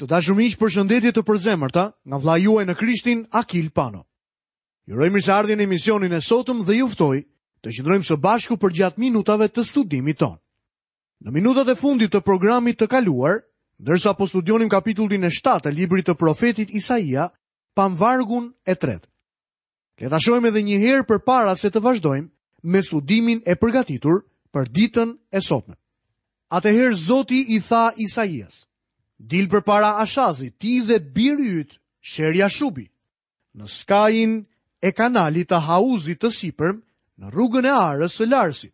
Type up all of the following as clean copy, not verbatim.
Të dashur miq, përshëndetje të përzemërta nga vëllai juaj në Krishtin, Akil Pano. Ju uroj mirëseardhjen në emisionin e sotëm dhe ju ftoj të qëndrojmë së bashku përgjatë minutave të studimit tonë. Në minutat e fundit të programit të kaluar, ndërsa po studionim kapitullin e 7 të librit të profetit Isaia, pamë vargun e tretë. Le ta shohim edhe një herë përpara se të vazhdojmë me studimin e përgatitur për ditën e sotme. Atëherë Zoti i tha Isaias, dil përpara Ashazit, ti dhe biri yt, Sher-Jashubi, në skajin e kanalit të hauzit të sipërm, në rrugën e arës së larësit.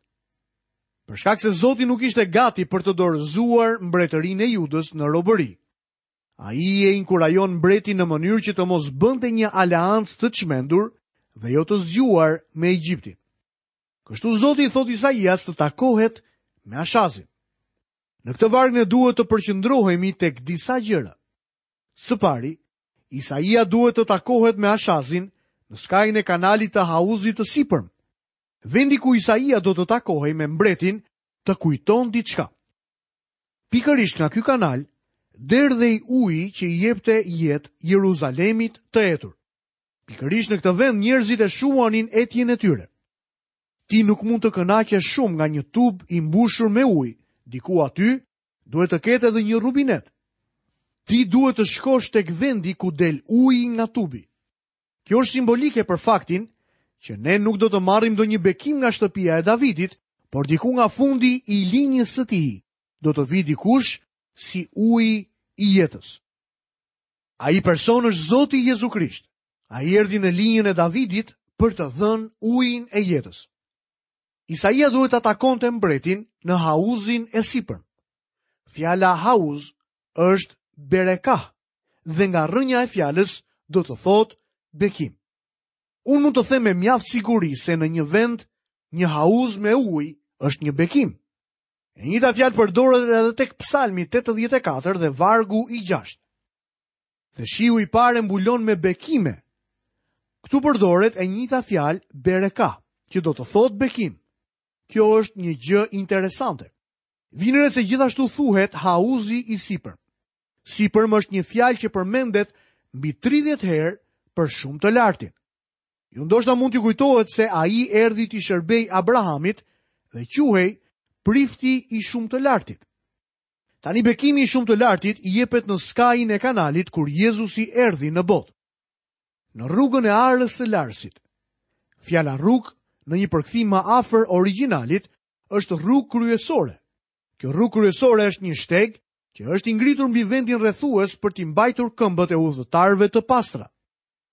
Për shkak se Zoti nuk ishte gati për të dorëzuar mbretërinë e Judës në robëri, Ai e inkurajon mbretin në mënyrë që të mos bënte një aleancë të çmendur dhe jo të zgjuar me Egjiptin. Kështu Zoti i thotë Isaias të takohet me Ashazin. Në këtë varg ne duhet të përqendrohemi tek disa gjëra. Së pari, Isaia duhet të takohet me Ashazin në skajin e kanalit të hauzit të sipërm. Vendi ku Isaia do të takohej me mbretin të kujton diçka. Pikërisht nga ky kanal derdhej uji që i jepte jetë Jeruzalemit të etur. Pikërisht në këtë vend njerëzit e shuanin etjen e tyre. Ti nuk mund të kënaqesh shumë nga një tub i mbushur me ujë, diku aty duhet të ketë edhe një rubinet. Ti duhet të shkosh tek vendi ku del uji nga tubi. Kjo është simbolike për faktin që ne nuk do të marrim ndonjë bekim nga shtëpia e Davidit, por diku nga fundi i linjës së tij do të vijë dikush si uji i jetës. Ai person është Zoti Jezu Krisht. Ai erdhi në linjën e Davidit për të dhënë ujin e jetës. Isaia duhet ta takonte mbretin në hauzin e sipërm. Fjala hauz është berekah, dhe nga rrënja e fjalës do të thotë bekim. Unë mund të them me mjaft siguri se në një vend një hauz me ujë është një bekim. E njëjta fjalë përdoret edhe tek Psalmi 84 dhe vargu i 6. Dhe shiu i parë e mbulon me bekime. Këtu përdoret e njëjta fjalë bereka, që do të thotë bekim. Kjo është një gjë interesante. Vini re se gjithashtu thuhet hauzi i sipërm. Sipërm është një fjalë që përmendet mbi 30 herë për shumë të lartin. Ju ndoshta mund t'ju kujtohet se ai erdhi t'i shërbejë Abrahamit dhe quhej prifti i shumë të lartit. Tani bekimi i shumë të lartit jepet në skajin e kanalit kur Jezusi erdhi në botë. Në rrugën e arës së larësit. Fjala rrugë në një përkthim më afër origjinalit është rrugë kryesore. Kjo rrugë kryesore është një shteg që është i ngritur mbi vendin rrethues për t'i mbajtur këmbët e udhëtarëve të pastra.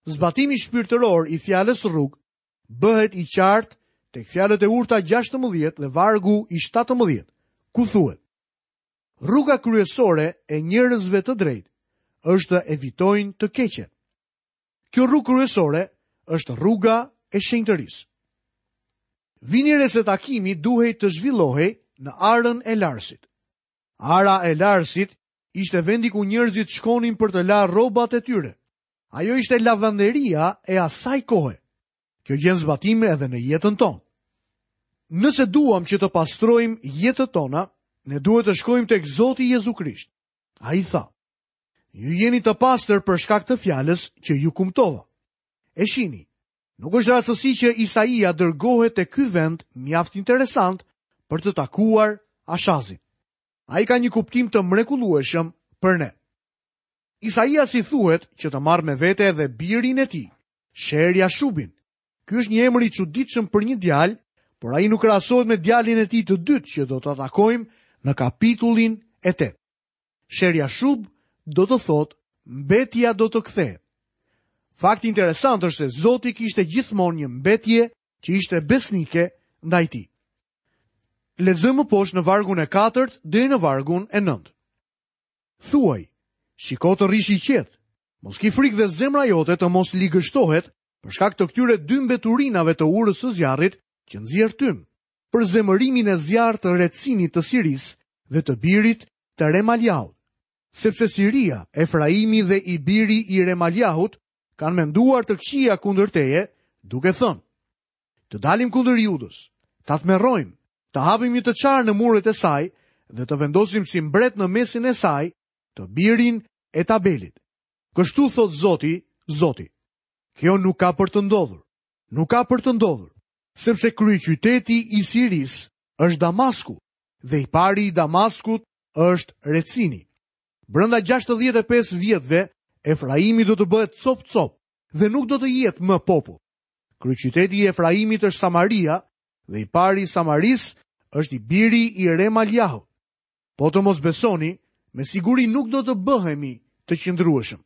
Zbatimi shpirtëror i fjalës rrugë bëhet i qartë tek fjalët e urta 16 dhe vargu i 17, ku thuhet: Rruga kryesore e njerëzve të drejtë është të evitojnë të keqen. Kjo rrugë kryesore është rruga e shenjtërisë. Vini re se takimi duhej të zhvillohej në arën e larësit. Ara e larësit ishte vendi ku njerëzit shkonin për të larë rrobat e tyre. Ajo ishte lavanderia e asaj kohe. Kjo gjen zbatim edhe në jetën tonë. Nëse duam që të pastrojmë jetët tona, ne duhet të shkojmë tek Zoti Jezu Krisht. Ai tha: Ju jeni të pastër për shkak të fjalës që ju kumtova. E shihni, Nuk është rastësi që Isaia dërgohet te ky vend mjaft interesant për të takuar Ashazin. Ai ka një kuptim të mrekullueshëm për ne. Isaias i thuhet që të marrë me vete edhe birin e tij, Sher Jashubin. Ky është një emër i çuditshëm për një djalë, por ai nuk krahasohet me djalin e tij të dytë që do ta takojmë në kapitullin e 8. Sher Jashub do të thotë mbetja do të kthehet. Fakti interesant është se Zoti kishte gjithmonë një mbetje që ishte besnike ndaj tij. Lexojmë më poshtë në vargun e katërt deri në vargun e nëntë. Thuaj, shiko të rrish i qetë, mos ki frikë dhe zemra jote të mos ligështohet për shkak të këtyre dy mbeturinave të urës së zjarrit që nxjerr tym. për zemërimin e zjarrtë të Retsinit të Sirisë dhe të birit të Remaliahut. Sepse Siria, Efraimi dhe i biri i Remaliahut kanë menduar të këqija kundër teje, duke thënë: Të dalim kundër Judës, ta tmerrojmë, të hapim një të çarë në muret e saj dhe të vendosim si mbret në mesin e saj të birin e Tabelit. Kështu thotë Zoti, Zoti. Kjo nuk ka për të ndodhur. Nuk ka për të ndodhur, sepse kryeqyteti i Sirisë është Damasku dhe i pari i Damaskut është Recini. Brenda 65 vjetëve, Efraimi do të bëhet copë-copë dhe nuk do të jetë më popull. Kryeqyteti i Efraimit është Samaria dhe i pari i Samarisë është i biri i Remaliahut. Po të mos besoni, me siguri nuk do të bëhemi të qëndrueshëm.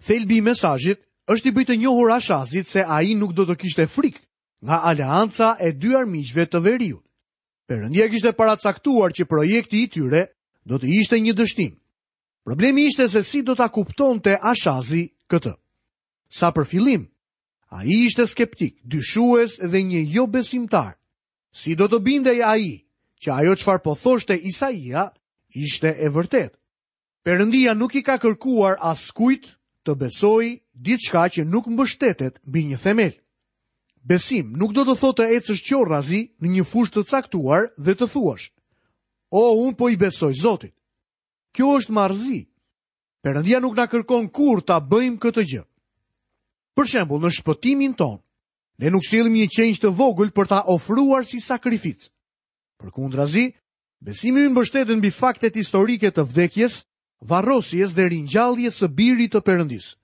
Thelbi i mesazhit është t'i bëjë të njohur Ashazit se ai nuk do të kishte frikë nga aleanca e dy armiqve të veriut. Perëndia kishte paracaktuar që projekti i tyre do të ishte një dështim. Problemi ishte se si do ta kuptonte Ashazi këtë. Sa për fillim, ai ishte skeptik, dyshues dhe një jobesimtar. Si do të bindej ai që ajo çfarë po thoshte Isaia ishte e vërtetë? Perëndia nuk i ka kërkuar askujt të besojë diçka që nuk mbështetet mbi një themel. Besim nuk do të thotë të ecësh qorrazi në një fushë të caktuar dhe të thuash, O, unë po i besoj Zotit. Kjo është marrëzi. Perëndia nuk na kërkon kurrë ta bëjmë këtë gjë. Për shembull, në shpëtimin tonë, ne nuk sjellim një qengj të vogël për ta ofruar si sakrificë. Përkundrazi, besimi ynë mbështetet mbi faktet historike të vdekjes, varrosjes dhe ringjalljes së Birit të Perëndisë.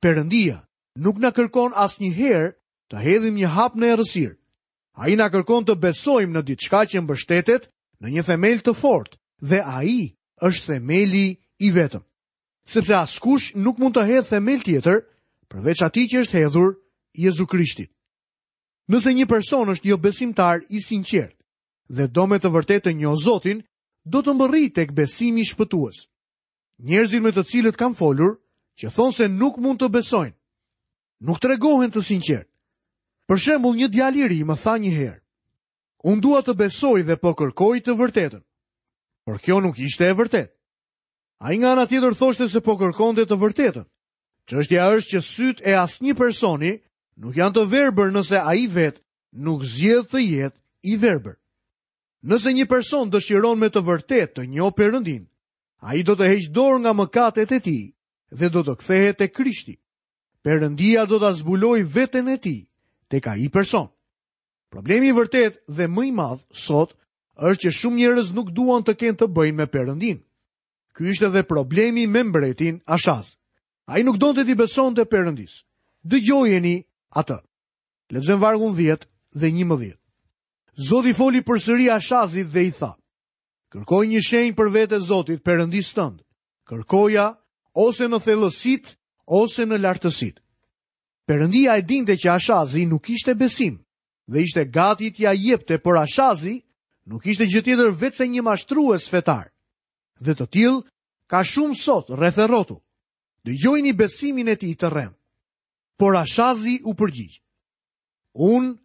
Perëndia nuk na kërkon asnjëherë të hedhim një hap në errësirë. Ai na kërkon të besojmë në diçka që mbështetet në një themel të fortë dhe ai është themeli i vetëm. Sepse askush nuk mund të hedhë themel tjetër përveç atij që është hedhur Jezu Krishtit. Nëse një person është jobesimtar i sinqertë dhe do me të vërtetë të njohë Zotin, do të mbërrijë tek besimi shpëtues. Njerëzit me të cilët kam folur, që thonë se nuk mund të besojnë, nuk tregohen të sinqertë. Për shembull, një djalë i ri më tha një herë, unë dua të besoj dhe po kërkoj të vërtetën. Por kjo nuk ishte e vërtetë. Ai nga ana tjetër thoshte se po kërkonte të vërtetën. Çështja është që sytë e asnjë personi nuk janë të verbër nëse ai vetë nuk zgjedh të jetë i verbër. Nëse një person dëshiron me të vërtetë të njohë Perëndinë, ai do të heqë dorë nga mëkatet e tij dhe do të kthehet te Krishti. Perëndia do ta zbulojë veten e tij tek ai person. Problemi i vërtetë dhe më i madh sot është që shumë njerëz nuk duan të kenë të bëjnë me Perëndinë. Ky ishte dhe problemi me mbretin Ashaz. Ai nuk donte t'i besonte Perëndisë. Dëgjojeni atë. Lexojmë vargun 10 dhe 11. Zoti foli përsëri Ashazit dhe i tha: Kërko një shenjë për vete Zotit, Perëndisë tënd. Kërkoja ose në thellësitë ose në lartësitë. Perëndia e dinte që Ashazi nuk kishte besim dhe ishte gati t'ia jepte, por Ashazi nuk ishte gjë tjetër veçse një mashtrues fetar. Dhe të tillë ka shumë sot rreth e rrotull. Dëgjojeni besimin e tij të rremë. Por Ashazi u përgjigj. Unë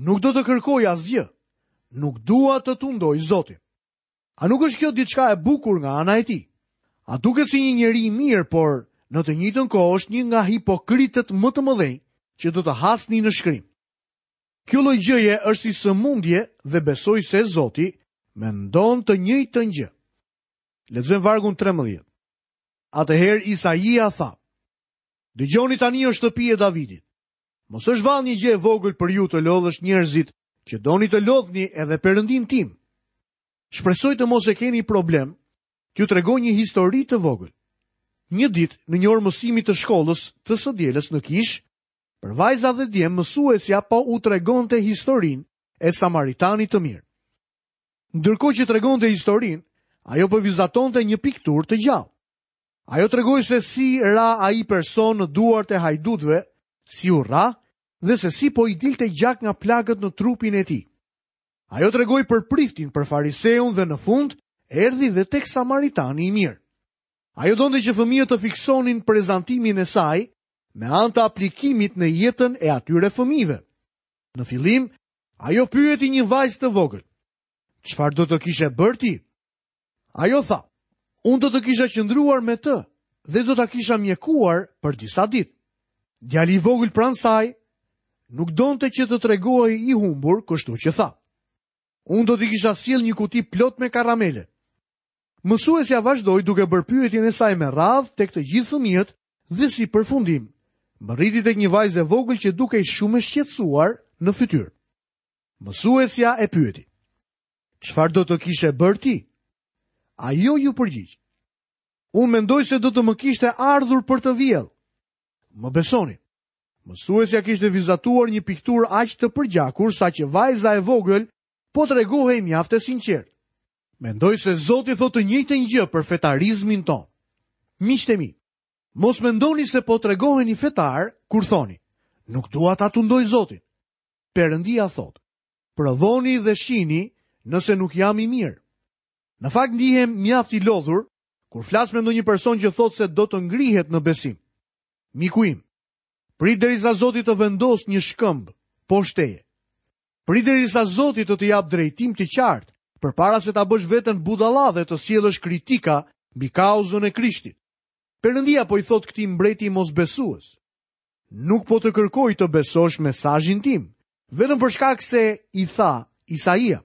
nuk do të kërkoj asgjë. Nuk dua të tundoj Zotin. A nuk është kjo diçka e bukur nga ana e tij? A duket si një njeri i mirë, por në të njëjtën kohë është një nga hipokritët më të mëdhenj që do të hasni në shkrim. Kjo lloj gjëje është si sëmundje dhe besoj se Zoti mendon të njëjtën gjë. Lexojmë vargun 13. Atëherë Isaia tha: Dëgjoni tani o shtëpi e Davidit. Mos është vallë një gjë e vogël për ju të lodhësh njerëzit që doni të lodhni edhe Perëndinë tim. Shpresoj të mos e keni problem t'ju tregoj një histori të vogël. Një ditë, në një orë mësimi të shkollës të së dielës në kishë, për vajza dhe djem mësuesja po u tregonte historinë e Samaritanit të mirë. Ndërkohë që tregonte historinë, ajo po vizatonte një pikturë të gjallë. Ajo tregoi se si ra ai person në duart e hajdutëve, si u rrah dhe se si po i dilte gjak nga plagët në trupin e tij. Ajo tregoi për priftin, për fariseun dhe në fund erdhi dhe tek samaritani i mirë. Ajo donte që fëmijët të fiksonin prezantimin e saj me anë të aplikimit në jetën e atyre fëmijëve. Në fillim, ajo pyeti një vajzë të vogël. Çfarë do të kishe bërë ti? Ajo tha, unë do të kisha qëndruar me të dhe do ta kisha mjekuar për disa ditë. Djali i vogël pranë saj nuk donte që të tregohej i humbur, kështu që tha. Unë do t'i kisha sjellë një kuti plot me karamele. Mësuesja vazhdoi duke bërë pyetjen e saj me radhë tek të gjithë fëmijët dhe si përfundim, mbërriti tek një vajzë e vogël që dukej shumë e shqetësuar në fytyrë. Mësuesja e pyeti: "Çfarë do të kishe bërë ti?" Ajo iu përgjigj: "Unë mendoj se do të më kishte ardhur për të vjellë." Më besoni. Mësuesja kishte vizatuar një pikturë aq të përgjakur saqë vajza e vogël po tregohej mjaft e sinqertë. Mendoj se Zoti thotë të njëjtën gjë për fetarizmin tonë. Miqtë e mi, mos mendoni se po tregoheni fetarë kur thoni, nuk dua ta tundoj Zotin. Perëndia thotë, provoni dhe shihni nëse nuk jam i mirë. Në fakt ndihem mjaft i lodhur kur flas me ndonjë person që thotë se do të ngrihet në besim. Miku im, prit derisa Zoti të vendosë një shkëmb poshtë teje. Prit derisa Zoti të të japë drejtim të qartë, përpara se ta bësh veten budalla dhe të sjellësh kritika mbi kauzën e Krishtit. Perëndia po i thotë këtij mbreti mosbesues. Nuk po të kërkoj të besosh mesazhin tim, vetëm për shkak se i tha Isaia.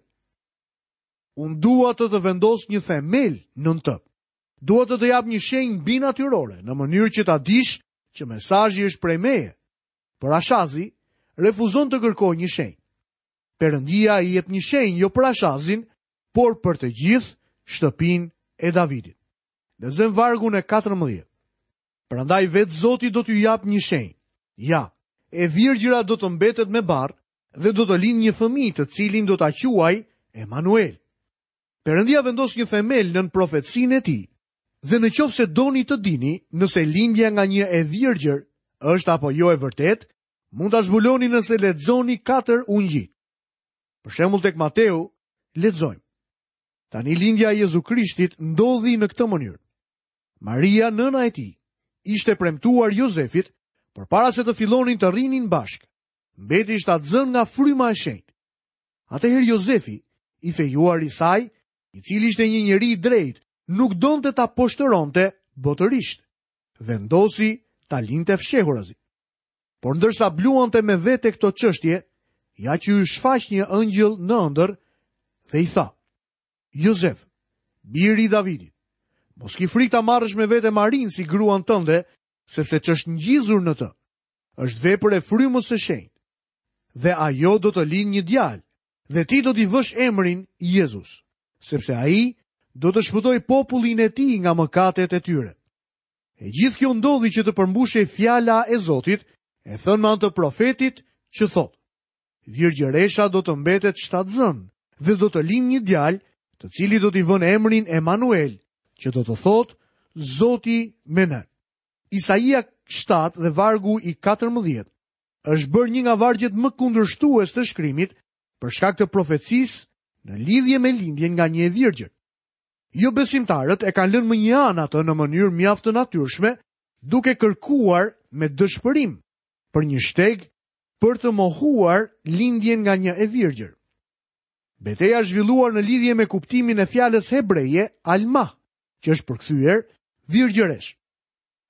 Unë dua të të vendos një themel nën të. Dua të të jap një shenjë mbinatyrore, në mënyrë që ta dish që mesazhi është prej meje. Por Ashazi refuzon të kërkojë një shenjë. Perëndia i jep një shenjë jo për Ashazin, por për të gjithë shtëpinë e Davidit. Lexojmë vargun e 14. Prandaj vetë Zoti do t'ju japë një shenjë. Ja, e virgjëra do të mbetet me barrë dhe do të lindë një fëmijë të cilin do ta quajë Emanuel. Perëndia vendos një themel nën profecinë e tij. Dhe në qoftë se doni të dini nëse lindja nga një e virgjër është apo jo e vërtetë, mund ta zbuloni nëse lexoni katër ungjijtë. Për shembull tek Mateu lexojmë. Tani lindja e Jezu Krishtit ndodhi në këtë mënyrë. Maria, nëna e tij, ishte premtuar Jozefit, por para se të fillonin të rrinin bashkë, mbeti shtatzënë nga fryma e shenjtë. Atëherë Jozefi, i fejuari i saj, i cili ishte një njeri i drejtë, nuk donte ta poshtëronte botërisht. Vendosi ta linte fshehurazi. Por ndërsa bluante me vete këto çështje, ja që iu shfaq një engjëll në ëndërr dhe i tha: Jozef, biri i Davidit, mos ki frikë ta marrësh me vete Marinë si gruan tënde, sepse ç'është ngjizur në të, është vepër e frymës së shenjtë. Dhe ajo do të lindë një djalë, dhe ti do t'i vësh emrin Jezus, sepse ai do të shpëtojë popullin e tij nga mëkatet e tyre. E gjithë kjo ndodhi që të përmbushej fjala e Zotit, e thënë me anë të profetit që thotë: Virgjëresha do të mbetet shtatzënë dhe do të lindë një djalë, të cilit do t'i vënë emrin Emanuel, që do të thotë Zoti me ne. Isaia 7 dhe vargu i 14 është bërë një nga vargjet më kundërshtues të shkrimit për shkak të profecisë në lidhje me lindjen nga një e virgjër. Jobesimtarët e kanë lënë mënjanë atë në mënyrë mjaft të natyrshme, duke kërkuar me dëshpërim për një shteg për të mohuar lindjen nga një e virgjër. Beteja është zhvilluar në lidhje me kuptimin e fjalës hebreje almah, që është përkthyer virgjëreshë.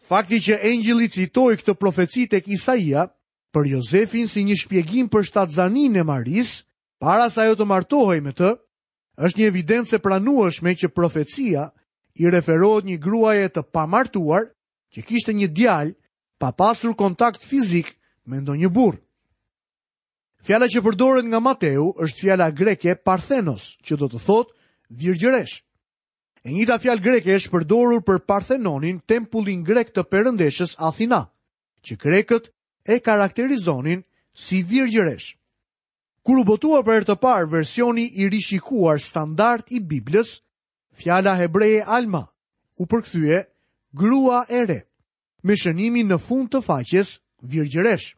Fakti që engjëlli citoi këtë profeci tek Isaia për Jozefin si një shpjegim për shtatzaninë e Marisë, para se ajo të martohej me të, është një evidencë e pranueshme që profecia i referohet një gruaje të pamartuar që kishte një djalë pa pasur kontakt fizik me ndonjë burrë. Fjala që përdoret nga Mateu është fjala greke parthenos, që do të thotë virgjëreshë. E njëjta fjalë greke është përdorur për Parthenonin, tempullin grek të perëndeshës Athina, që grekët e karakterizonin si virgjëreshë. Kur u botua për herë të parë versioni i rishikuar standard i Biblës, fjala hebreje alma u përkthye grua e re, me shënimin në fund të faqes virgjëreshë.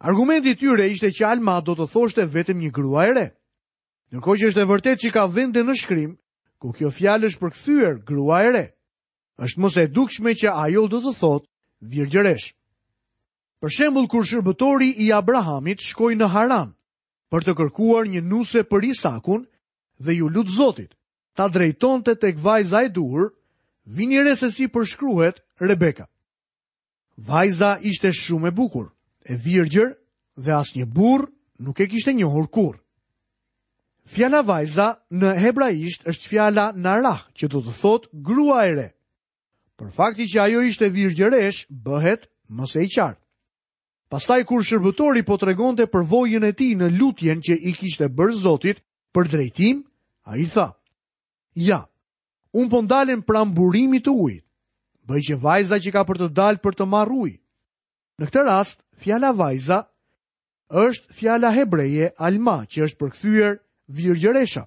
Argumenti i tyre ishte që alma do të thoshte vetëm një grua e re. Ndërkohë që është e vërtetë që ka vende në shkrim ku kjo fjalë është përkthyer grua e re. Është më se e dukshme që ajo do të thotë virgjëreshë. Për shembull, kur shërbëtori i Abrahamit shkoi në Haran për të kërkuar një nuse për Isakun dhe iu lut Zotit ta drejtonte tek vajza e duhur, vini re se si përshkruhet Rebeka. Vajza ishte shumë e bukur, e virgjër dhe asnjë burrë nuk e kishte njohur kurrë. Fjala vajza në hebraisht është fjala narah, që do të thotë grua e re. Por fakti që ajo ishte virgjëreshë bëhet më se i qartë. Pastaj kur shërbëtori po tregonte përvojën e tij në lutjen që i kishte bërë Zotit për drejtim, ai tha: "Ja, unë po ndalem pranë burimit të ujit. Bëj që vajza që ka për të dalë për të marrë ujë." Në këtë rast, fjala vajza është fjala hebreje alma, që është përkthyer virgjëresha.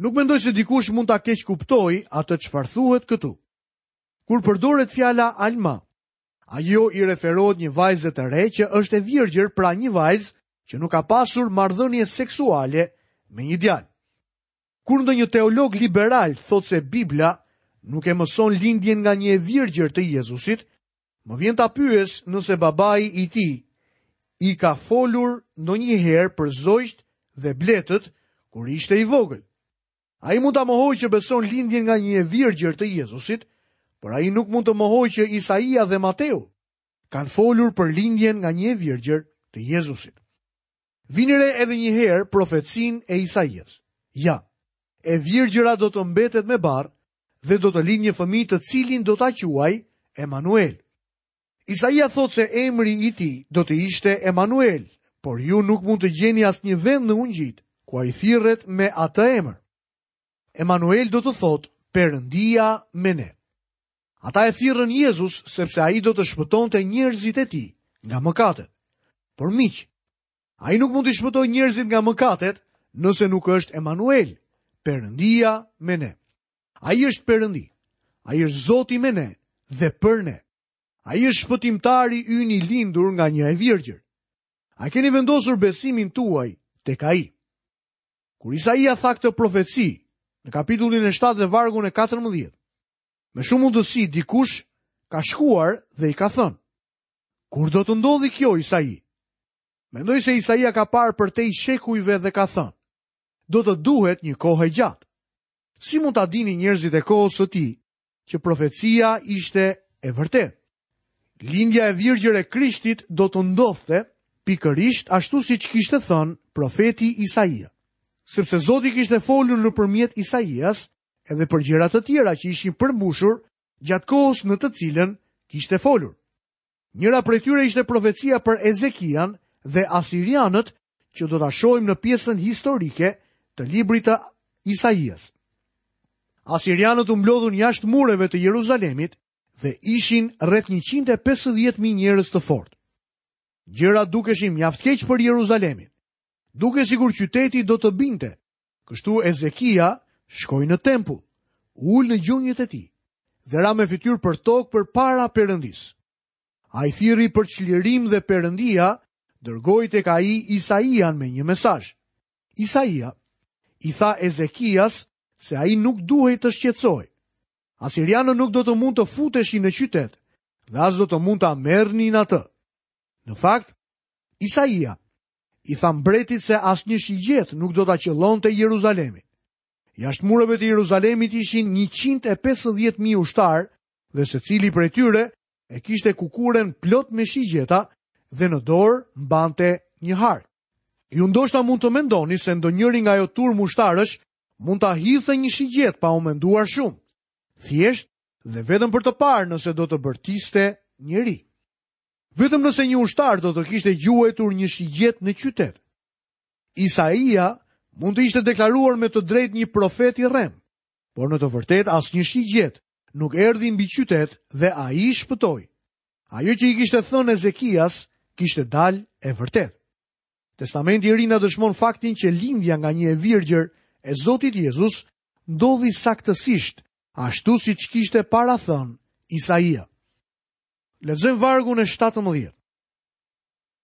Nuk mendoj se dikush mund ta keqkuptojë atë çfarë thuhet këtu. Kur përdoret fjala alma, ajo i referohet një vajze të re që është e virgjër, pra një vajzë që nuk ka pasur marrëdhënie seksuale me një djalë. Kur ndonjë teolog liberal thotë se Bibla nuk e mëson lindjen nga një e virgjër të Jezusit, Më vjen ta pyes nëse babai i tij i ka folur ndonjëherë për zogjtë dhe bletët kur ishte i vogël. Ai mund ta mohojë që beson lindjen nga një e virgjër të Jezusit, por ai nuk mund të mohojë që Isaia dhe Mateu kanë folur për lindjen nga një e virgjër të Jezusit. Vini re edhe një herë profecinë e Isaias. Ja, e virgjëra do të mbetet me barrë dhe do të lindë një fëmijë të cilin do ta quajë Emanuel. Isaia thotë se emri i tij do të ishte Emanuel, por ju nuk mund të gjeni asnjë vend në ungjijtë ku ai thirret me atë emër. Emanuel do të thotë Perëndia me ne. Ata e thirrën Jezus sepse ai do të shpëtonte njerëzit e tij nga mëkatet. Por miq, Ai nuk mund t'i shpëtojë njerëzit nga mëkatet nëse nuk është Emanuel, Perëndia me ne. Ai është Perëndi. Ai është Zoti me ne dhe për ne. Ai është shpëtimtari ynë i lindur nga një e virgjër. A keni vendosur besimin tuaj tek ai? Kur Isaia tha këtë profeci, në kapitullin e 7 dhe vargun e 14, me shumë mundësi dikush ka shkuar dhe i ka thënë, Kur do të ndodhi kjo, Isai? Mendoj se Isaia ka parë përtej shekujve dhe ka thënë, do të duhet një kohë e gjatë. Si mund ta dinin njerëzit e kohës së tij që profecia ishte e vërtetë? Lindja e virgjër e Krishtit do të ndodhte pikërisht ashtu siç kishte thënë profeti Isaia. Sepse Zoti kishte folur nëpërmjet Isaias edhe për gjëra të tjera që ishin përmbushur gjatë kohës në të cilën kishte folur. Njëra prej tyre ishte profecia për Ezekian dhe asirianët që do ta shohim në pjesën historike të librit të Isaias. Asirianët u mblodhën jashtë mureve të Jeruzalemit dhe ishin rreth 150.000 njerëz të fortë. Gjërat dukeshin mjaft keq për Jeruzalemin. Dukej sikur qyteti do të binte. Kështu Ezekia shkoi në tempull, u ul në gjunjët e tij dhe ra me fytyrë për tokë përpara Perëndisë. Ai thirri për çlirim dhe Perëndia dërgoi tek ai Isaian me një mesazh. Isaia i tha Ezekias se ai nuk duhej të shqetësohej. Asirianët nuk do të mund të futeshin në qytet dhe as do të mund ta merrnin atë. Në fakt, Isaia i tha mbretit se asnjë shigjetë nuk do ta qëllonte Jeruzalemin. Jashtë mureve të Jeruzalemit ishin 150.000 ushtarë dhe secili prej tyre e kishte kukuren plot me shigjeta dhe në dorë mbante një hark. Ju ndoshta mund të mendoni se ndonjëri nga ajo turmë ushtarësh mund ta hidhte një shigjetë pa u menduar shumë. Thjesht dhe vetëm për të parë nëse do të bërtiste njeri. Vetëm nëse një ushtar do të kishte gjuajtur një shigjetë në qytet. Isaia mund të ishte deklaruar me të drejtë një profet i rremë, por në të vërtetë asnjë shigjetë nuk erdhi mbi qytet dhe ai shpëtoi. Ajo që i kishte thënë Ezekias kishte dalë e vërtetë. Testamenti i Ri na dëshmon faktin që lindja nga një e virgjër e Zotit Jezus ndodhi saktësisht ashtu siç kishte parathënë Isaia. Lexojmë vargun e 17.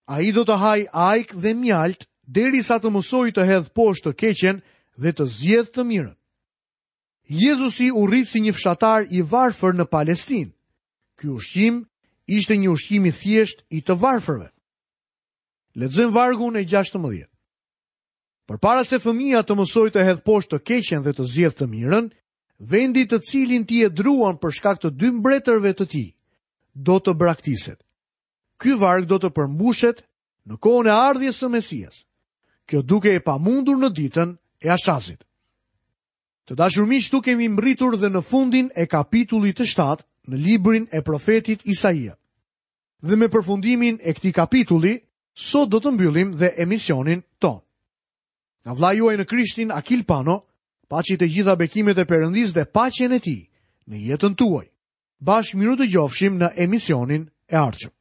Ai do të hajë ajkë dhe mjaltë derisa të mësojë të hedhë poshtë të keqen dhe të zgjedhë të mirën. Jezusi u rrit si një fshatar i varfër në Palestinë. Ky ushqim ishte një ushqim i thjeshtë i të varfërve. Lexojmë vargun e 16. Përpara se fëmija të mësojë të hedhë poshtë të keqen dhe të zgjedhë të mirën, vendi të cilin ti e druan për shkak të dy mbretërve të tij, do të braktiset. Ky varg do të përmbushet në kohën e ardhjes së Mesias. Kjo dukej e pamundur në ditën e Ashazit. Të dashur miq, këtu kemi mbërritur dhe në fundin e kapitullit të 7 në librin e profetit Isaia. Dhe me përfundimin e këtij kapitulli, sot do të mbyllim dhe emisionin tonë. Nga vëllai juaj në Krishtin Akil Pano, paçi të gjitha bekimet e Perëndisë dhe paqen e tij në jetën tuaj. Bashkë mirudëgjofshim në emisionin e ardhshëm.